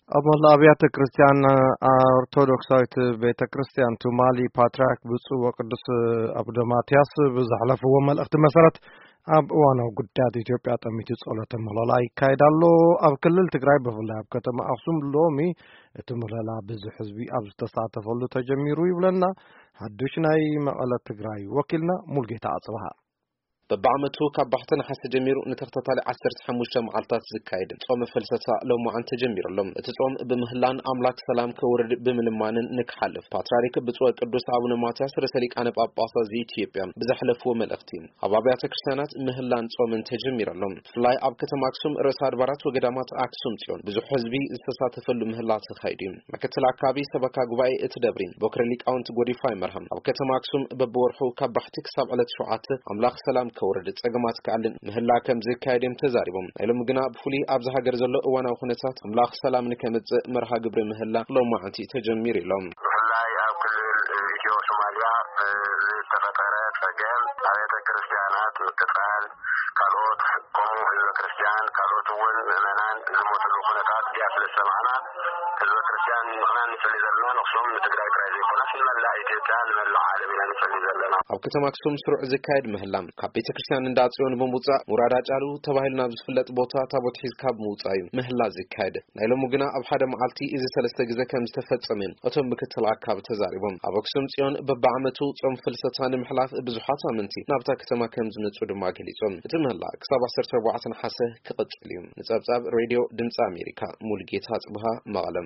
ኣብ መላእ ኣብያተ ክርስቲያን ኦርቶዶክሳዊት ቤተ ክርስቲያን ቱማሊ፣ ፓትርያርክ ብፁዕ ወቅዱስ ኣቡነ ማትያስ ብዘሕለፍዎ መልእኽቲ መሰረት፣ ኣብ እዋናዊ ጉዳያት ኢትዮጵያ ጠሚቱ ጸሎተ ምህለላ ይካየድ ኣሎ። ኣብ ክልል ትግራይ፣ ብፍላይ ኣብ ከተማ ኣኽሱም፣ ሎሚ እቲ ምህለላ ብዙሕ ህዝቢ ኣብ ዝተሳተፈሉ ተጀሚሩ ይብለና ሓዱሽ ናይ መቐለ ትግራይ ወኪልና ሙልጌታ ኣጽብሃ። በብዓመቱ ካብ ባሕቲ ነሓሰ ጀሚሩ ንተኸታታሊ ዓሰርተ ሓሙሽተ መዓልታት ዝካየድ ጾመ ፍልሰታ ሎማዓንቲ ተጀሚሩ ኣሎ። እቲ ጾም ብምህላን ኣምላክ ሰላም ከውርድ ብምልማንን ንክሓልፍ ፓትርያርክ ብፁዕ ቅዱስ ኣቡነ ማትያስ ርእሰ ሊቃነ ጳጳሳት ዘኢትዮጵያ ብዘሕለፍዎ መልእኽቲ፣ ኣብ ኣብያተ ክርስቲያናት ምህላን ጾምን ተጀሚሩ ኣሎ። ብፍላይ ኣብ ከተማ ኣክሱም ርእሰ ኣድባራት ወገዳማት ኣክሱም ጽዮን ብዙሕ ህዝቢ ዝተሳተፈሉ ምህላ ተኻይዱ እዩ። ምክትል ኣካቢ ሰበካ ጉባኤ እቲ ደብሪ ቦክረ ሊቃውንት ጎዲፋይ መርሃም፣ ኣብ ከተማ ኣክሱም በብወርሑ ካብ ባሕቲ ክሳብ ዕለት ሸውዓተ ኣምላኽ ሰላም ከውርድ፣ ጸገማት ክኣልን ምህላ ከም ዝካየድ እዮም ተዛሪቦም። ናይ ሎሚ ግና ብፍሉይ ኣብዚ ሃገር ዘሎ እዋናዊ ኩነታት ኣምላኽ ሰላም ንከምጽእ መርሃ ግብሪ ምህላ ሎማዓንቲ ተጀሚሩ ኢሎም። ብፍላይ ኣብ ክልል ኢትዮ ሶማልያ ዝተፈጠረ ጸገም ኣብያተ ክርስቲያናት ምቅጻል፣ ካልኦት ከምኡ ህዝበ ክርስቲያን፣ ካልኦት እውን ምእመናን ዝሞትሉ ኩነታት ድያ ስለ ዝሰማዕና፣ ህዝበ ክርስቲያን ምእመናን ንጽሊ ዘለና ንኣኽሱም ንትግራይ ጥራይ ዘይኮነስ ንመላእ ኢትዮጵያ፣ ንመላእ ዓለም ኢና ንጽሊ ዘለና። ኣብ ከተማ ኣክሱም ስሩዕ ዝካየድ ምህላ፣ ካብ ቤተ ክርስቲያን እንዳ ጽዮን ብምውጻእ ሙራዳ ጫሉ ተባሂሉ ናብ ዝፍለጥ ቦታ ታቦት ሒዝካ ብምውጻእ እዩ ምህላ ዝካየድ። ናይ ሎሙ ግና ኣብ ሓደ መዓልቲ እዚ ሰለስተ ግዜ ከም ዝተፈጸመ እዮም እቶም ምክትል ኣካብ ተዛሪቦም። ኣብ ኣክሱም ጽዮን በብዓመቱ ጾም ፍልሰታ ንምሕላፍ ብዙሓት ኣመንቲ ናብታ ከተማ ከም ዝመጹ ድማ ገሊጾም። እቲ ምህላ ክሳብ ዓሰርተ ኣርባዕተ ነሓሰ ክቕጽል እዩ። ንጸብጻብ ሬድዮ ድምጺ ኣሜሪካ፣ ሙልጌታ ጽብሃ፣ መቐለም።